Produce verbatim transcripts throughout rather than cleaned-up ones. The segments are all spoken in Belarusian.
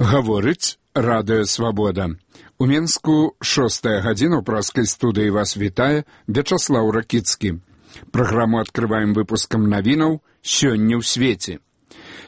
Гаворыць Радыё Свабода. У Менску шостая гадзіна ў праскай студыі вас вітае Вячаслаў Ракіцкі. Праграму адкрываем выпускам навінаў «Сёння ў свеце».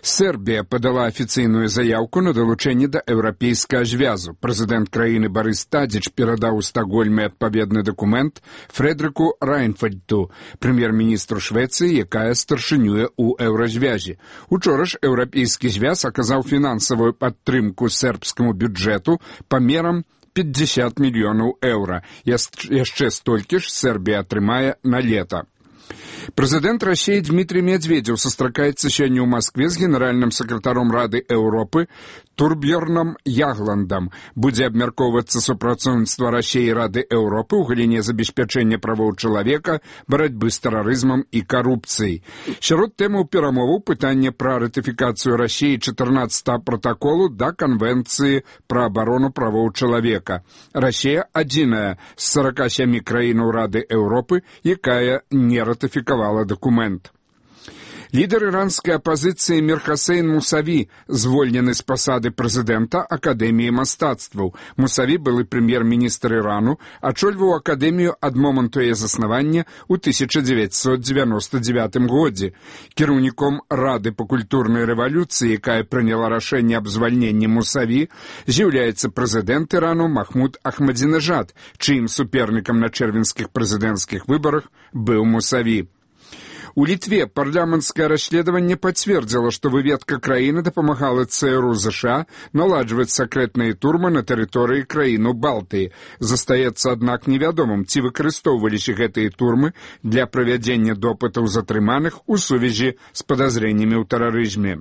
Сербія падала афіцыйную заяўку на далучэнне да еўрапейскага звязу. Прэзідэнт краіны Барыс Тадзіч перадаў у Стакгольме адпаведны дакумент Фрэдрыку Райнфельду, прэм'ер-міністру Швецыі, якая старшынюе ў еўразвязе. Учора ж еўрапейскі звяз аказаў фінансавую падтрымку сербскаму бюджэту памерам пятьдесят мільёнаў еўра. Яшчэ столькі ж Сербія атрымае на лета. Прэзідэнт Расіі Дмітрий Медведзеў сустракаецца сёння ў Маскве з генеральным сакратаром Рады Еўропы Турбьерном Ягландам. Будзе абмяркоўвацца супрацоўніцтва Расіі і Рады Еўропы ў галіне забеспячэння правоў чалавека, барацьбы з тэрарызмам і карупцыяй. Сярод тэмаў перамоваў пытанне пра ратыфікацыю Расіі чатырнаццатага пратаколу да Канвенцыі пра абарону правоў чалавека. Расія адзіная з сорока сямі краінаў Рады Еўропы, якая не ратыфікавала дакумент. Лідар іранскай апазіцыі Мір Хасейн Мусаві звольнены з пасады прэзідэнта Акадэміі мастацтваў. Мусаві былы прэм'ер-міністр Ірану, ачольваў акадэмію ад моманту яе заснавання ў тысяча дзевяцьсот дзевяноста дзевятым годзе. Кіраўніком Рады па культурнай рэвалюцыі, якая прыняла рашэнне аб звальненні Мусаві, з'яўляецца прэзідэнт Ірану Махмуд Ахмадзінежад, чыім супернікам на чэрвеньскіх прэзідэнцкіх выбарах быў Мусаві. У Літве парламенцкае расследаванне пацвердзіла, што выведка краіны дапамагала ЦРУ США наладжваць сакрэтныя турмы на тэрыторыі краіну Балтыі. Застаецца, аднак, невядомым, ці выкарыстоўваліся гэтыя турмы для правядзення допытаў затрыманых у сувязі з падазрэннямі ў тэрарызме.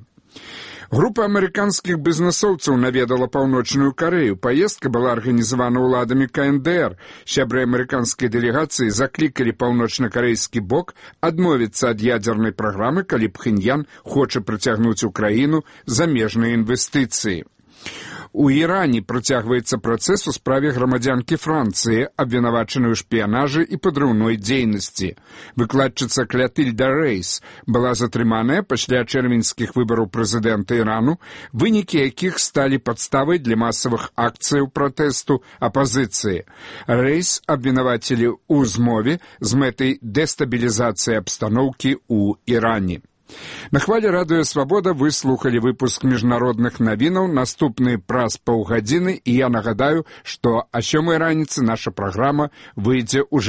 Група амерыканскіх бізнесоўцаў наведала Паўночную Карэю. Паездка была арганізавана ўладамі КНДР. Сябры амерыканскай дэлегацыі заклікалі паўночнакарэйскі бок адмовіцца ад ядзернай праграмы, калі Пхеньян хоча прыцягнуць у краіну замежныя інвестыцыі. У Іране працягваецца працэс у справе грамадзянкі Францыі, абвінавачанай у шпіянажы і падрыўной дзейнасці. Выкладчыца Клятыльда Рэйс была затрыманая пасля чэрвеньскіх выбараў прэзідэнта Ірану, вынікі якіх сталі падставай для масавых акцыяў пратэсту апазіцыі. Рэйс абвінавацілі ў змове з мэтай дэстабілізацыі абстаноўкі ў Іране. На хвале Радыё Свабода вы слухалі выпуск міжнародных навінаў, наступны праз паўгадзіны, і я нагадаю, што а сёмай раніцы наша праграма выйдзе ўжо